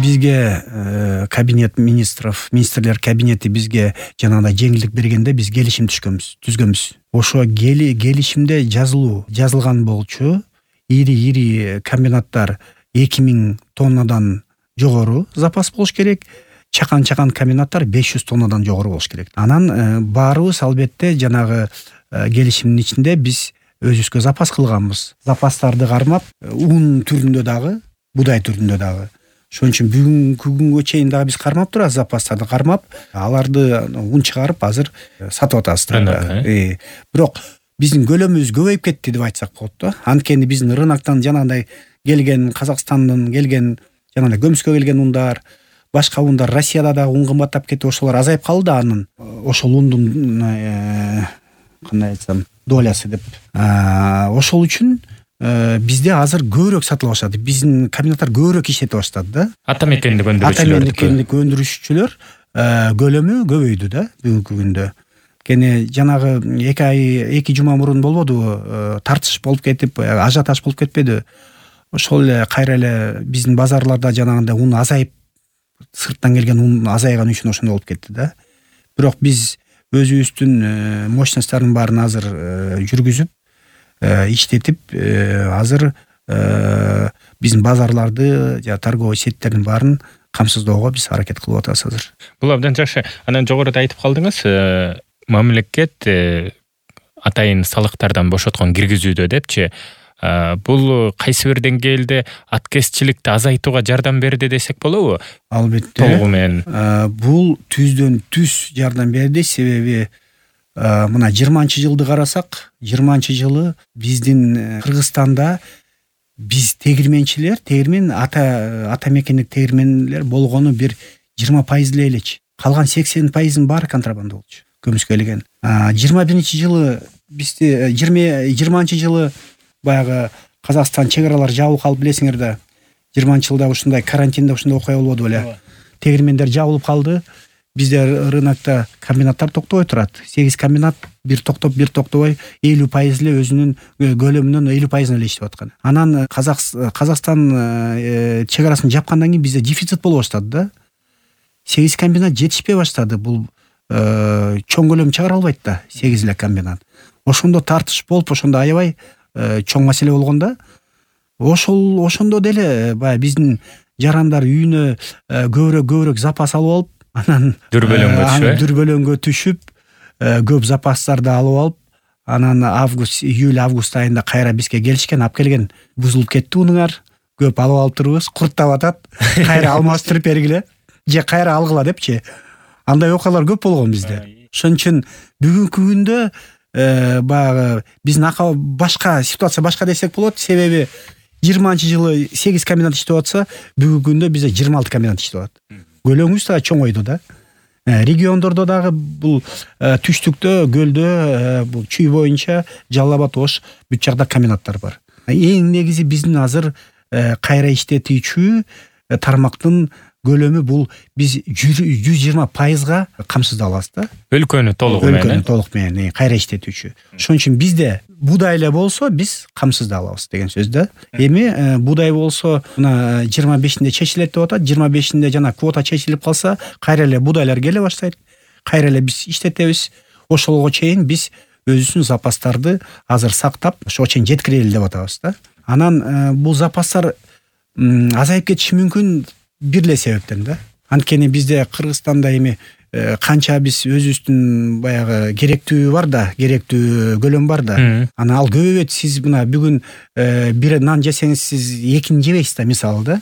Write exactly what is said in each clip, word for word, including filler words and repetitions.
бизге кабинет министров министрлер кабинети бизге жанагындай жеңилдик бергенде биз келишим түшкөнбүз түзгөнбүз. Ошо келишимде жазылуу жазылган болчу ири ири комбинаттар эки миң тоннадан жогору запас болуш керек, чакан чакан комбинаттар беш жүз тоннадан жогору болуш керек. Анан баарыбыз албетте жанагы келишимдин ичинде биз өзүбүзгө запас кылганбыз. Запастарды кармап, ун түрүндө дагы, будай түрүндө дагы. Ошон үчүн бүгүнкү күнгө чейин дагы биз кармап турабыз, запастарды кармап, аларды ун чыгарып азыр сатып атабыз. Бирок биздин көлөмүбүз көбөйүп кетти деп айтсак болот да. Анткени биздин рыноктон жанагындай келген, Казакстандан келген, жанагындай көмүскө келген ундар, башка ундар, Россияда дагы ун кымбаттап кетти, ошолор азайып калды да анын. Ошол ундун кандай айтсам, долясы деп. Ошол үчүн бизде азыр көбүрөөк сатыла баштады. Биздин комбинаттар көбүрөөк иштете баштады да. Ата мекендик өндүрүүчүлөр. Ата мекендик өндүрүүчүлөр көлөмү көбөйдү да бүгүнкү күндө. Кene жанагы эки ай, эки жума мурун болбодубу? Тартыш болуп кетип, ажиотаж болуп кетпеди. Ошол эле кайра эле биздин базарларда жанагындай ун азайып, сырттан келген ун азайган үчүн ошондой болуп кетти да. Бирок биз өзүбүздүн мощносттордун баарын азыр жүргүзүп, иштетип, азыр биздин базарларды, жана торговый сеттердин баарын камсыздоого биз аракет кылып атабыз азыр. Бул абдан жакшы. Анан жогоруда айтып калдыңыз, мамлекет атайын салыктардан бошоткон киргизүүдө депчи, бул кайсы бир деңгээлде аткезчиликти азайтууга жардам берди десек болобу? Албетте. Толугу менен. Бул түздөн түз жардам берди, себеби мына жыйырманчы жылды карасак, жыйырманчы жылы биздин Кыргызстанда биз тегирменчилер, тегирмен ата ата мекендик тегирменлер болгону бир жыйырма пайыз элечи. Калган сексен пайыздын баары контрабанда болчу. Көмүскө келген. жыйырма биринчи жылы бизди жыйырманчы жылы баягы Казакстан чек аралары жабылып калып билесиңер да. жыйырманчы жылда ушундай карантинде ушундай окуя болбоду беле. Тегирмендер жабылып калды. Бизде рынокто комбинаттар токтобой турат. сегиз комбинат бир токтоп, бир токтобой элүү пайыз эле өзүнүн көлөмүнүн элүү пайызын эле иштеп аткан. Анан Казакстан чек арасын жапкандан кийин бизде дефицит боло баштады да. сегиз комбинат жетишпей баштады. Бул чоң көлөм чыгара албайт да, сегиз эле комбинат. Ошондо тартыш болуп, ошондо аябай чоң маселе болгондо, ошол ошондо деле баягы биздин жарандар үйүнө көбүрөөк көбүрөөк запас алып алып, анан дүрбөлөңгө түшүп, дүрбөлөңгө түшүп, көп запастарды алып алып, анан август, июль, август айында кайра бизге келишкен, алып келген, бузулуп кетти унуңар, көп алып алып турбуз, курттап атат, кайра алмаштырып бергиле, же кайра алгыла депчи. Андай окуялар көп болгон бизде. Ошон үчүн бүгүнкү күндө баягы биздин ака башка ситуация башка десек болот, себеби жыйырманчы жылы сегиз комбинат иштеп атса, бүгүнкү күндө бизде жыйырма алты комбинат иштеп атат. Көлөмүбүз да чоңойду да. Региондордо дагы бул түштүктө, көлдө, бул Чүй боюнча Жалал Абад, Ош бүт жакта комбинаттар бар. Эң негизи биздин азыр кайра иштетүүчү тармактын көлөмү бул биз жүз жыйырма пайызга камсыздалабыз да. Өлкөнү толугу менен. Өлкөнү толук менен кайра иштетүүчү. Ошон үчүн бизде будай эле болсо биз камсыздалабыз деген сөз да. Эми будай болсо мына жыйырма бешинде чечилет деп атат. жыйырма бешинде жана квота чечилип калса, кайра эле будайлар келе баштайт. Кайра эле биз иштетебиз. Ошолго чейин биз өзүбүздүн запастарды азыр сактап, ошого чейин жеткирели деп атабыз да. Анан бул запастар азайып кетиши мүмкүн бир эле себептен да. Анткени бизде Кыргызстанда эми канча биз өзүбүздүн баягы керектүү бар да, керектүү көлөм бар да. Анан ал көбөйөт. Сиз мына бүгүн бир нан жесеңиз, сиз экини жебейсиз да, мисалы да.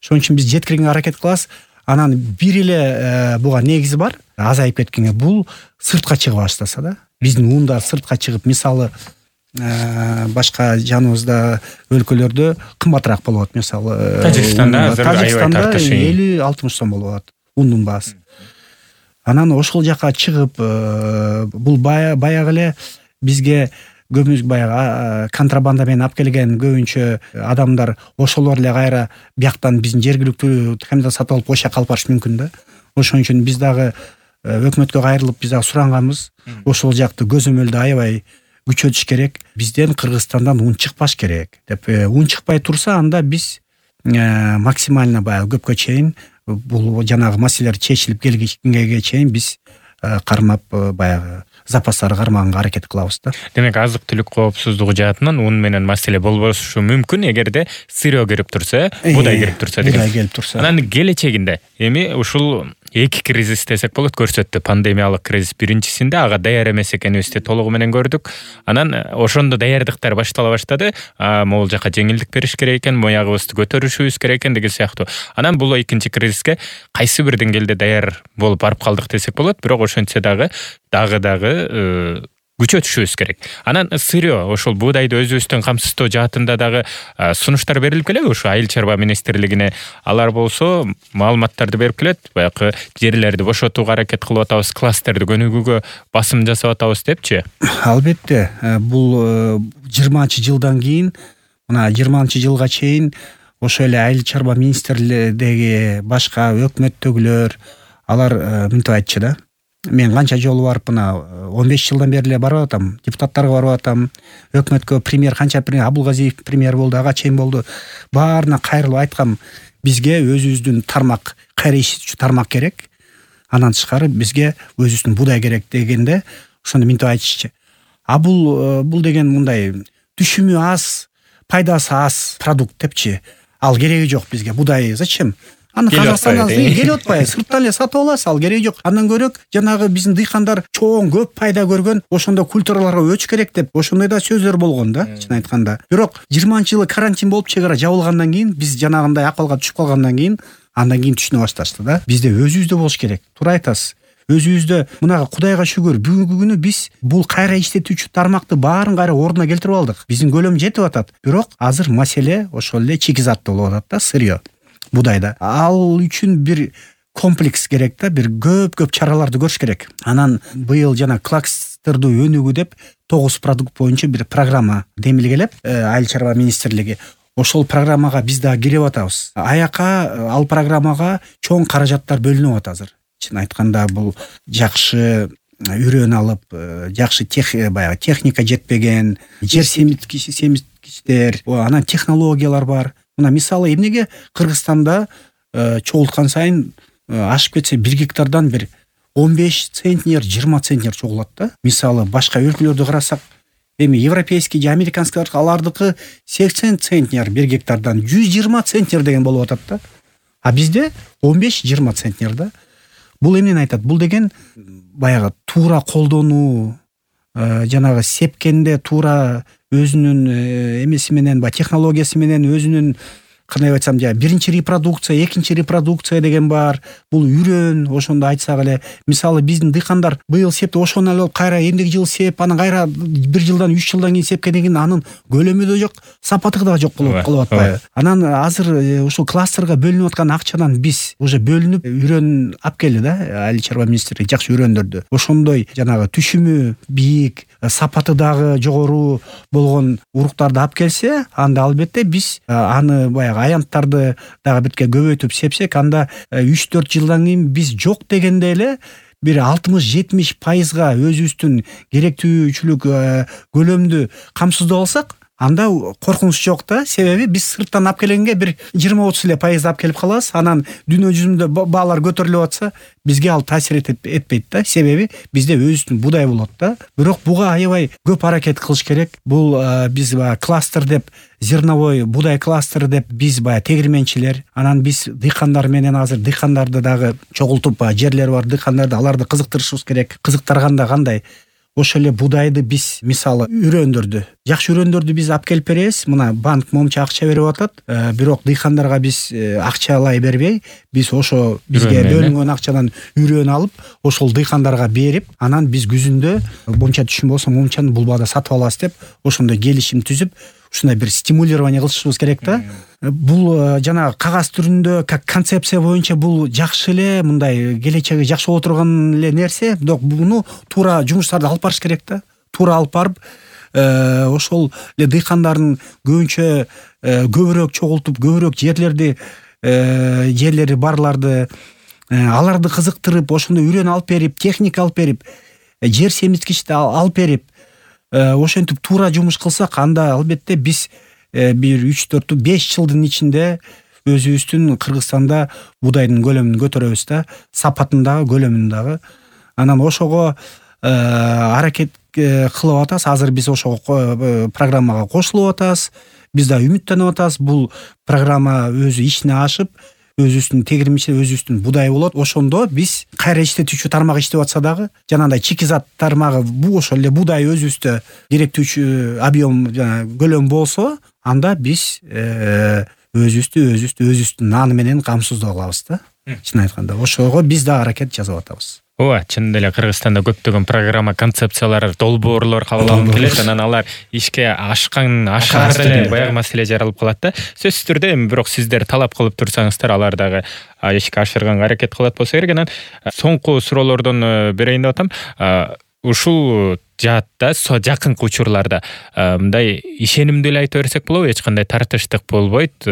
Ошон үчүн биз жеткиргенге аракет кылабыз. Анан бир эле буга негизи бар. Азайып кеткенге бул сыртка чыга баштаса да. Биздин ундар сыртка чыгып, мисалы башка жаныбызда өлкөлөрдө кымбатыраак болот, мисалы Тажикстанда азыр аябай тартыш элүү алтымыш сом болуп атат ундун баасы. Анан ошол жака чыгып, бул баягы эле бизге көбүнчө баягы контрабанда менен алып келген көбүнчө адамдар ошолор эле кайра бияктан биздин жергиликтүү комбинат сатып алып ошо жака алып барышы мүмкүн да. Ошон үчүн биз дагы өкмөткө кайрылып биз дагы суранганбыз. Ошол жакты көзөмөлдү аябай күчөтүш керек. Бизден Кыргызстандан ун чыкпаш керек деп. Ун чыкпай турса, анда биз максимально баягы көпкө чейин бул жанагы маселелер чечилип келгенге чейин биз кармап баягы запастарды кармаганга аракет кылабыз да. Демек азык түлүк коопсуздугу жаатынан ун менен маселе болбошу мүмкүн эгерде сырьё кирип турса, будай кирип турса деген. Будай келип турса. Анан келечегинде эми ушул эки кризис десек болот көрсөттү. Пандемиялык кризис биринчисинде ага даяр эмес экенибизди толугу менен көрдүк. Анан ошондо даярдыктар баштала баштады. Могул жака жеңилдик бериш керек экен, моягыбызды көтөрүшүбүз керек экен деген сыяктуу. Анан бул экинчи кризиске кайсы бир деңгээлде даяр болуп барып калдык десек болот. Бирок ошентсе дагы дагы дагы күчөтүшүбүз керек. Анан сырьё ошол буудайды өзүбүздөн камсыздоо жаатында дагы сунуштар берилип келеби ушу Айыл чарба министрлигине? Алар болсо маалыматтарды берип келет. Баягы жерлерди бошотууга аракет кылып атабыз, кластерди көнүгүүгө басым жасап атабыз депчи. Албетте, бул жыйырманчы жылдан кийин, мына жыйырманчы жылга чейин ошо эле Айыл чарба министрлигиндеги башка өкмөттөгүлөр алар мынтип айтчу да. Мен канча жолу барып мына он беш жылдан бери эле барып атам, депутаттарга барып атам, өкмөткө премьер канча премьер Абулгазиев премьер болду, ага чейин болду. Баарына кайрылып айткам, бизге өзүбүздүн тармак, кайра ишетүүчү тармак керек. Анан тышкары бизге өзүбүздүн будай керек дегенде ошондо мынтип айтышчу. А бул бул деген мындай түшүмү аз, пайдасы аз продукт депчи. Ал кереги жок бизге. Будай зачем? Аны Казакстандан келип атпайбы, сырттан эле сатып аласыз, ал кереги жок. Андан көрөк жанагы биздин дыйкандар чоң көп пайда көргөн, ошондо культураларга өч керек деп, ошондой да сөздөр болгон да, чын айтканда. Бирок жыйырманчы жылы карантин болуп чек ара жабылгандан кийин, биз жанагындай акыбалга түшүп калгандан кийин, андан кийин түшүнө башташты да. Бизде өзүбүздө болуш керек. Туура айтасыз. Өзүбүздө мына Кудайга шүгүр бүгүнкү күнү биз бул кайра иштетүүчү тармакты баарын кайра ордуна келтирип алдык. Биздин көлөм жетип атат. Бирок азыр маселе ошол эле чикизатта болуп атат да, сырьё. Будайда. Ал үчүн бир комплекс керек да, бир көп-көп чараларды көрүш керек. Анан быйыл жана кластердүү өнүгүү деп тогуз продукт боюнча бир программа демилгелеп, Айыл чарба министрлиги ошол программага биз да кирип атабыз. Аяка ал программага чоң каражаттар бөлүнүп атат азыр. Чын айтканда бул жакшы үйрөн алып, жакшы баягы техника жетпеген, жер семиткичтер, анан технологиялар бар. Мына мисалы эмнеге Кыргызстанда чогулткан сайын ашып кетсе бир гектардан бир он беш центнер, жыйырма центнер чогулат да. Мисалы башка өлкөлөрдү карасак, эми европейский же американский алардыкы сексен центнер бир гектардан жүз жыйырма центнер деген болуп атат да. А бизде он беш жыйырма центнер да. Бул эмнени айтат? Бул деген баягы туура колдонуу, жанагы сепкенде туура өзүнүн эмеси менен, ба технологиясы менен өзүнүн, кандай айтсам, жа биринчи репродукция, экинчи репродукция деген бар. Бул үйрөн, ошондо айтсак эле, мисалы биздин дыйкандар быйыл септи, ошону алып кайра эмдеги жыл сеп, анан кайра бир жылдан үч жылдан кийин сепкенден кийин анын көлөмү да жок, сапаты да жок кылып атпайбы? Анан азыр ушул кластерге бөлүнүп аткан акчадан биз уже бөлүнүп үйрөн алып келди да, Айыл чарба министрлиги жакшы үйрөндөрдү. Ошондой жанагы түшүмү бийик, сапаты дагы жогору болгон уруктарды алып келсе, анда албетте биз аны баягы аянттарды дагы битке көбөйтүп сепсек, анда үч төрт жылдан кийин биз жок дегенде эле бир алтымыш жетимиш пайызга өзүбүздүн керектүүчүлүк көлөмдү камсыздап алсак, анда коркунуч жок да. Себеби биз сырттан алып келгенге бир жыйырма отуз эле пайыз алып келип калабыз. Анан дүйнө жүзүндө баалар көтөрүлүп атса, бизге ал таасир этпейт да. Себеби бизде өзүбүздүн будай болот да. Бирок буга аябай көп аракет кылыш керек. Бул биз баягы кластер деп, зерновой будай кластер деп биз баягы тегирменчилер, анан биз дыйкандар менен азыр дыйкандарды дагы чогултуп, жерлери бар дыйкандарды, аларды кызыктырышыбыз керек. Кызыктырганда кандай? Ошол эле будайды биз, мисалы, үйрөндөрдү, жакшы үйрөндөрдү биз алып келип беребиз. Мына банк момча акча берип атат, бирок дыйкандарга биз акчалай бербей, биз ошо бизге бөлүнгөн акчадан үйрөн алып, ошол дыйкандарга берип, анан биз күзүндө момча түшүм болсо момчаны булбада сатып алабыз деп, ошондой келишим түзүп, ушундай бир стимулирование кылышыбыз керек да. Бул жанагы кагаз түрүндө, как концепция боюнча бул жакшы эле, мындай келечеги жакшы боло турган эле нерсе, бирок буну туура жумуштарды алып барыш керек да. Туура алып барып, ошол эле дыйкандардын көбүнчө көбүрөөк чогултуп, көбүрөөк жерлерди, жерлери барларды, аларды кызыктырып, ошондо үйрөн алып берип, техника алып берип, жер семиткичти алып берип, ошентип туура жумуш кылсак, анда албетте биз бир үч төрт беш жылдын ичинде өзүбүздүн Кыргызстанда будайдын көлөмүн көтөрөбүз да, сапатын дагы, көлөмүн дагы. Анан ошого аракет кылып атабыз. Азыр биз ошого программага кошулуп атабыз. Биз да үмүттөнүп атабыз. Бул программа өзү ишине ашып, өзүбүздүн тегирмичи, өзүбүздүн будай болот. Ошондо биз кайра иштетүүчү тармак иштеп атса дагы, жанагындай чикизат тармагы бул ошол эле будай өзүбүздө керектүүчү объем жана көлөм болсо, анда биз өзүбүздү өзүбүздү өзүбүздүн наны менен камсыздоо кылабыз да. Чын айтканда, ошого биз да аракет жасап атабыз. Ооба, чындап эле Кыргызстанда көптөгөн программа, концепциялар, долбоорлор кабыл алынып келет, анан алар ишке ашкан ашаар деле баягы маселе жаралып калат да. Сөзсүз түрдө эми бирок сиздер талап кылып турсаңыздар, алар дагы ишке ашырганга аракет кылат болсо керек. Анан соңку суроолордон берейин деп атам. Ушул жаатта жакынкы учурларда мындай ишенимдүү эле айта берсек болобу, эч кандай тартыштык болбойт,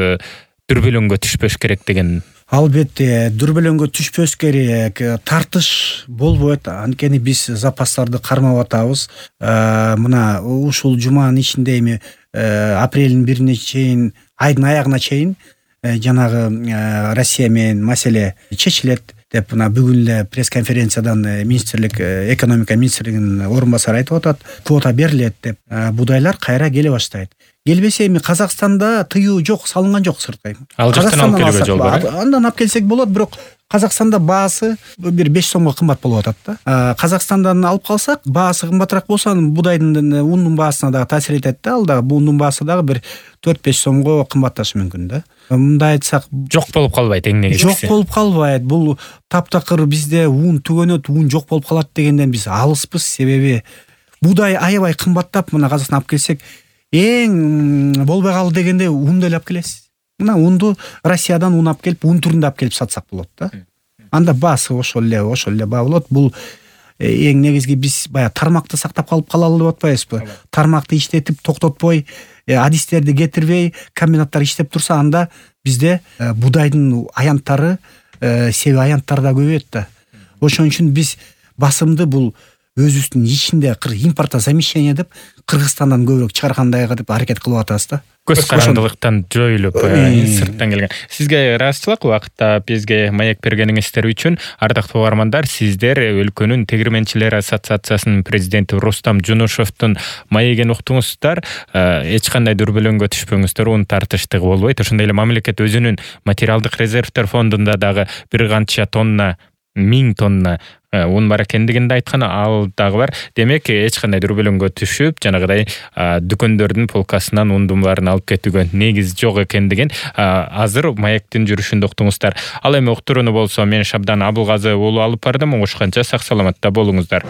дүрбөлөңгө түшпөш керек деген. Албетте, дүрбөлөңгө түшпөс керек, тартыш болбойт. Анткени биз запастарды кармап атабыз. Мына ушул жуманын ичинде эми апрелдин бирине чейин, айдын аягына чейин жанагы Россия менен маселе чечилет деп мына бүгүн эле пресс-конференциядан министрлик, экономика министрлигинин орун басары айтып атат. Квота берилет деп, будайлар кайра келе баштайт. Келбесе эми Казакстанда тыюу жок, салынган жок сырткай. Ал жактан алып келүүгө жол бар. Андан алып келсек болот, бирок Казакстанда баасы бир беш сомго кымбат болуп атат да. Казакстандан алып калсак, баасы кымбатыраак болсо, анын будайдын ундун баасына дагы таасир этет да. Ал дагы ундун баасы дагы бир төрт-беш сомго кымбатташы мүмкүн да. Мындай айтсак, жок болуп калбайт эң негизгиси. Жок болуп калбайт. Бул таптакыр бизде ун түгөнөт, ун жок болуп калат дегенден биз алыспыз. Себеби будай аябай кымбаттап, мына Казакстандан алып келсек, эң болбой калды дегенде унду эле алып келесиз. Мына унду Россиядан ун алып келип, ун түрүндө алып келип сатсак болот да. Анда баасы ошол эле, ошол эле баа болот. Бул эң негизги биз баягы тармакты сактап калып калалы деп атпайбызбы? Тармакты иштетип токтотпой, адистерди кетирбей, комбинаттар иштеп турса, анда бизде будайдын аянттары, себи аянттары да көбөйөт да. Ошон үчүн биз басымды бул өзүбүздүн ичинде импортозамещение деп Кыргызстандан көбүрөөк чыгаргандайга деп аракет кылып атабыз да. Көз карандылыктан жоюлуп, сырттан келген. Сизге ыраазычылык убакытта бизге маек бергениңиздер үчүн. Ардактуу угармандар, сиздер өлкөнүн тегирменчилер ассоциациясынын президенти Рустам Жунушевдун маегин уктуңуздар. Эч кандай дүрбөлөңгө түшпөңүздөр, ун тартыштыгы болбойт. Ошондой эле мамлекет өзүнүн материалдык резервдер фондунда дагы бир канча тонна, миң тонна ун бар экендигин да айткан, ал дагы бар. Демек, эч кандай дүрбөлөңгө түшүп, жанагыдай дүкөндөрдүн полкасынан ундун баарын алып кетүүгө негиз жок экендигин азыр маектин жүрүшүндө уктуңуздар. Ал эми уктурууну болсо мен Шабдан Абылгазы уулу алып бардым. Оңушканча сак саламатта болуңуздар.